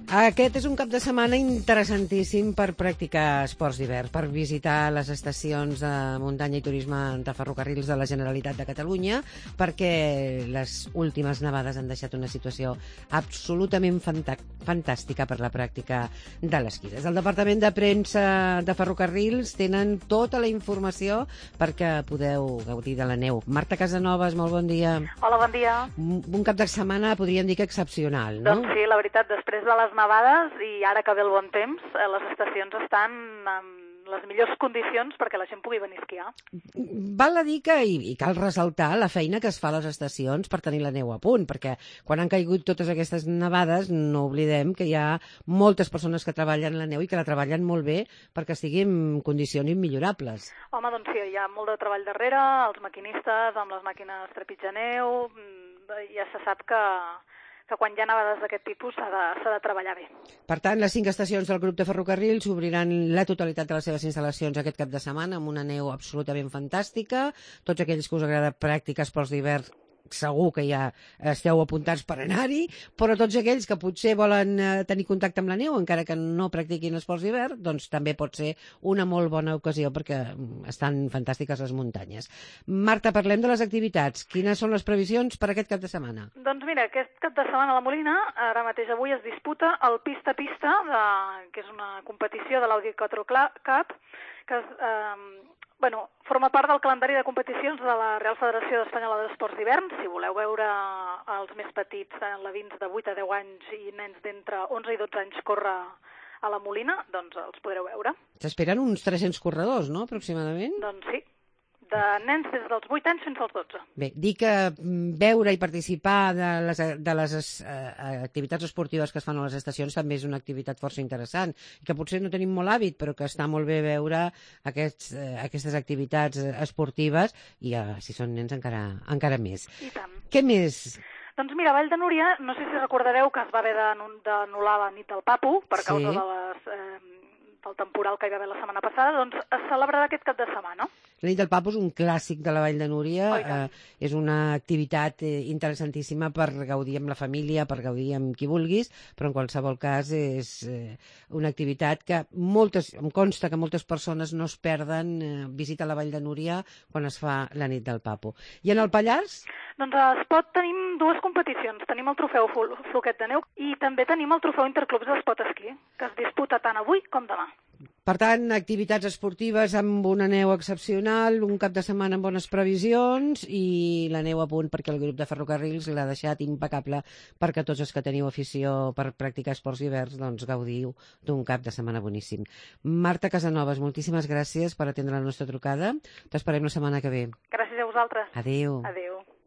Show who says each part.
Speaker 1: Aquest és un cap de setmana interessantíssim per practicar esports d'hivern, per visitar les estacions de muntanya i turisme de ferrocarrils de la Generalitat de Catalunya, perquè les últimes nevades han deixat una situació absolutament fantàstica per la pràctica de l'esquí. Des del Departament de Premsa de Ferrocarrils tenen tota la informació perquè podeu gaudir de la neu. Marta Casanovas, molt bon dia.
Speaker 2: Hola, bon dia.
Speaker 1: Un cap de setmana podríem dir que excepcional, no?
Speaker 2: Doncs sí, la veritat, després de les nevades i ara que ve el bon temps, les estacions estan en les millors condicions perquè la gent pugui venir a esquiar.
Speaker 1: Val a dir que, i cal ressaltar la feina que es fa a les estacions per tenir la neu a punt, perquè quan han caigut totes aquestes nevades no oblidem que hi ha moltes persones que treballen la neu i que la treballen molt bé perquè estigui en condicions immillorables.
Speaker 2: Home, doncs sí, hi ha molt de treball darrere, els maquinistes amb les màquines trepitja neu, ja se sap que quan hi ha nevades d'aquest tipus s'ha de treballar bé.
Speaker 1: Per tant, les 5 estacions del grup de ferrocarrils obriran la totalitat de les seves instal·lacions aquest cap de setmana amb una neu absolutament fantàstica. Tots aquells que us agrada practicar esports d'hivern segur que ja esteu apuntats per anar-hi, però tots aquells que potser volen tenir contacte amb la neu, encara que no practiquin esports d'hivern, doncs també pot ser una molt bona ocasió perquè estan fantàstiques les muntanyes. Marta, parlem de les activitats. Quines són les previsions per aquest cap de setmana?
Speaker 2: Doncs mira, aquest cap de setmana a la Molina, ara mateix avui es disputa el Pista a Pista, que és una competició de l'Audi Quattro Cup, que forma part del calendari de competicions de la Real Federació Espanyola d'Esports d'Hivern. Si voleu veure els més petits, alevins de 8 a 10 anys i nens d'entre 11 i 12 anys córrer a la Molina, doncs els podreu veure.
Speaker 1: S'esperen uns 300 corredors, no?, aproximadament?
Speaker 2: Doncs sí, de nens des dels 8 anys fins als 12.
Speaker 1: Bé, dir que veure i participar de les activitats esportives que es fan a les estacions també és una activitat força interessant, i que potser no tenim molt hàbit, però que està molt bé veure aquestes activitats esportives, i si són nens encara més.
Speaker 2: I tant.
Speaker 1: Què més?
Speaker 2: Doncs mira, a Vall de Núria, no sé si recordareu que es va haver d'anul·lar la nit del Papu per causa del temporal que hi va haver la setmana passada, doncs es celebrarà aquest cap de setmana.
Speaker 1: La nit del Papu és un clàssic de la Vall de Núria, és una activitat interessantíssima per gaudir amb la família, per gaudir amb qui vulguis, però en qualsevol cas és una activitat que em consta que moltes persones no es perden visita a la Vall de Núria quan es fa la nit del Papu. I en el Pallars?
Speaker 2: Doncs a Espot tenim dues competicions. Tenim el trofeu Floquet de Neu i també tenim el trofeu Interclubs d'Espot Esquí, que es disputa tant avui com demà.
Speaker 1: Per tant, activitats esportives amb una neu excepcional, un cap de setmana amb bones previsions i la neu a punt perquè el grup de ferrocarrils l'ha deixat impecable perquè tots els que teniu afició per practicar esports d'hivern doncs gaudiu d'un cap de setmana boníssim. Marta Casanovas, moltíssimes gràcies per atendre la nostra trucada. T'esperem la setmana que ve.
Speaker 2: Gràcies a vosaltres.
Speaker 1: Adéu.
Speaker 2: Adéu.